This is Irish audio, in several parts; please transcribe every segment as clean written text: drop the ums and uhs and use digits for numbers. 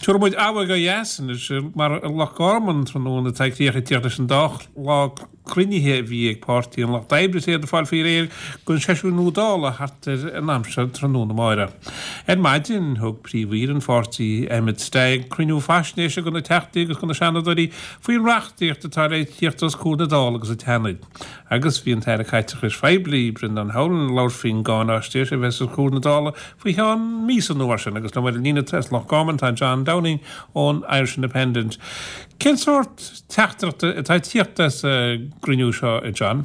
Tabharfaidh muid aghaidh ó dheas anois, mar i Loch Garman tráthnóna tá críoch ag tíocht leis an dá lá cruinnithe a bhí ag Páirtí an Lucht Oibre is iad ag fáil faoi réir don seisiún nua Dála thart ar an am seo tráthnóna amáireach. Ar maidin, thug Príomh-Aoire an pháirtí, Emmet Stagg, cruinniú faisnéise do na Teachtaí agus do na Seanadóirí faoin reachtaíocht atá le tíocht os comhair na Dála agus an tSeanaid. Agus bhí an tAire Caiteachais Phoiblí, Brendan Howlin, ag labhairt faoin gcáináisnéis a bheas os comhair na Dála faoi cheann míosa nó mar sin. Agus liom ar an líne as Loch Garman tá John Downing ón Irish Independent. Cén sórt teachtaireachta atá ag tíocht as an gcruinniú seo, a John?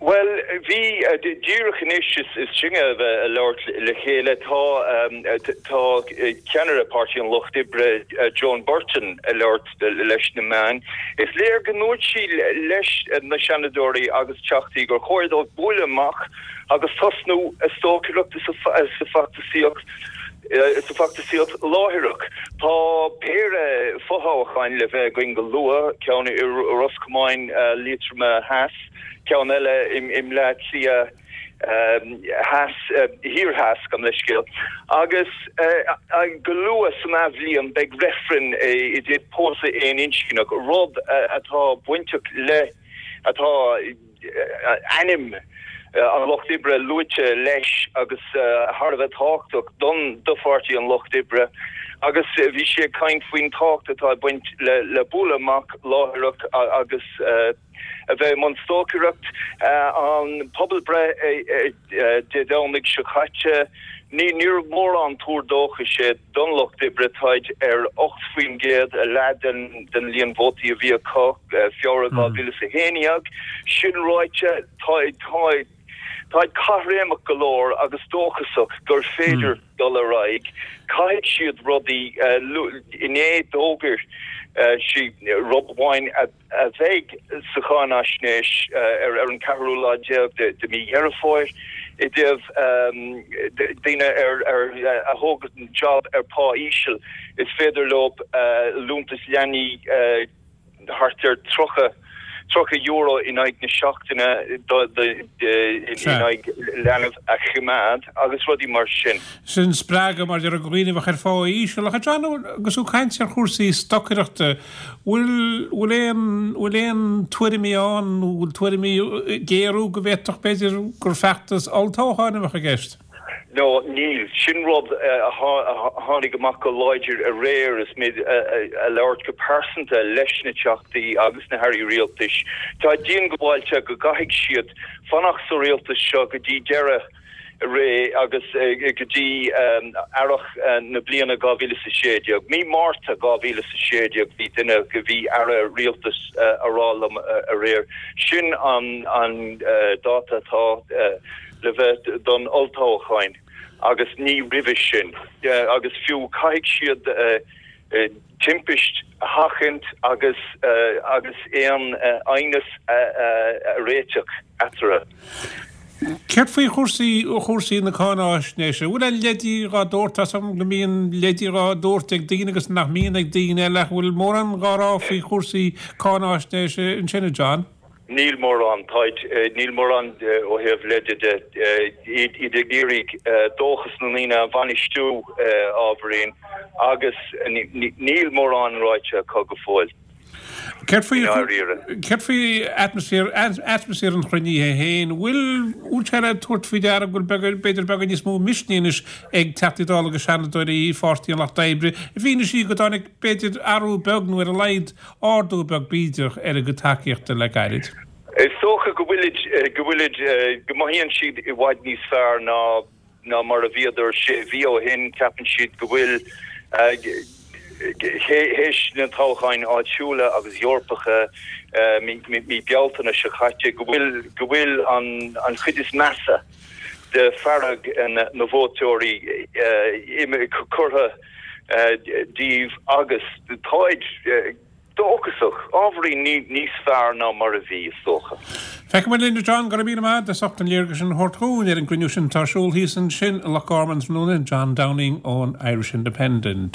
Bhuel, bhí, díreach anois is sinne a bheith ag labhairt le chéile, tá, tá ceannaire Páirtí an Lucht Oibre, Joan Burton, ag labhairt leis na meáin. Is léir go ndúirt sí leis na Seanadóirí agus Teachtaí gur chóir dóibh bualadh amach agus tosnú ag stocaireacht sa bhfeachtasaíocht sa bhfeachtasaíocht láithreach. Tá péire fothoghcháin le bheith againn go luath, ceann i Ros Comáin, Liatroma Theas, ceann eile i mBleá Cliath Theas, Thiar Theas, gabh mo leithscéal. Agus go luath san athbhliain beidh reifreann i dtaobh pósadh aoninscneach, rud atá bainteach le, atá, ainm an Lucht Oibre luaite leis agus thar a bheith tábhachtach don do Pháirtí an Lucht Oibre agus bhí sí ag caint faoin tábhacht atá ag baint le bualadh amach láithreach agus a bheith i mbun stocaireacht. An pobalbhreith Dé Domhnaigh seo caite, ní níorbh mórán tuar dóchais é. Don Lucht Oibre, táid ar 8%, a leath den líon vótaí a bhí acu Feabhra 2011. Sin ráite, táid caithréimeach go leor agus dóchasach gur féidir dul ar aghaidh. Caithfidh siad rudaí, inné d'fhógair sí rud amháin a. a bheidh sa cháinaisnéis ar an ceathrú lá déag de mhí Dheireadh Fómhair i dtaobh daoine a thógann job ar pá íseal, is féidir leo liúntas leanaí thart ar €30 in aghaidh na seachtaine in aghaidh leanbh a choimeád agus rudaí mar sin. Sin spreagadh mar a déarfá do dhaoine a bheadh ar phá íseal. Ach a John, agus tú ag caint ar chúrsaí stocaireachta, bhfuil, bhfuil aon, bhfuil aon tuairimí ann, nó bhfuil tuairimí ag géarú go bhféadfadh, b'fhéidir, gur feachtas olltoghcháin a bheadh i gceist? No, níl. Sin rud a tháinig amach go láidir aréir is mé ag labhairt go pearsanta leis na Teachtaí agus na hAirí Rialtais. Tá diongbháilte go gcaithfidh siad fanacht sa rialtas seo go dtí deireadh ré agus go dtí earrach na bliana 2016. Mí Márta 2016 bhí duine, bhí aire rialtais a rá liom aréir, sin an dáta atá le bheith don olltoghchán agus ní roimhe sin. Agus fiú caithfidh siad timpist a sheachaint agus agus aon aighneas a réiteach eatarthu. Céard faoi chúrsaí chúrsaí na cáináisnéise? Bhfuil aon leidí dhá dtabhairt? Tá's agam go mbíonn leidí dhá dtabhairt ag daoine agus nach mbíonn ag daoine eile ach bhfuil mórán dhá rá faoi chúrsaí cáináisnéise ansin, a John? Níl mórán, táid, níl mórán ó thaobh leide de. Iad ag iarraidh dóchas na ndaoine a bhainistiú ábhairín agus níl mórán ráite acu go fóill. Céard faoi, céard faoi atmaisféar, atmaisféar an chruinnithe féin? Bhfuil, bhfuil sé le tabhairt faoi deara go bhfuil b'fhéidir beagán níos mó misnigh anois ag Teachtaí Dála agus Seanadóirí Pháirtí an Lucht Oibre i bhfianaise go dtáinig b'fhéidir athrú beag nó ar a laghad ardú beag bídeach ar a gcuid tacaíochta le gairid. Is dócha go bhfuilid, go bhfuilid, go mothaíonn siad i bhfad níos fearr ná, ná mar a bhíodar sé mhí ó shin. Ceapann siad go bhfuil, théis na toghcháin áitiúla agus Eorpacha mí, mí Bealtaine seo caite, go bhfuil, go bhfuil an, an chuid is measa de fearg na vótóirí curtha díobh agus táid dóchasach, ábhairín níos fearr ná mar a bhí, is dócha. Feicfidh muid linn, a John, go raibh míle maith agat as ucht an léargas sin a thabhairt dhúinn ar an gcruinniú sin atá ar siúl thíos ansin i Loch Garman tráthnóna, John Downing ón Irish Independent.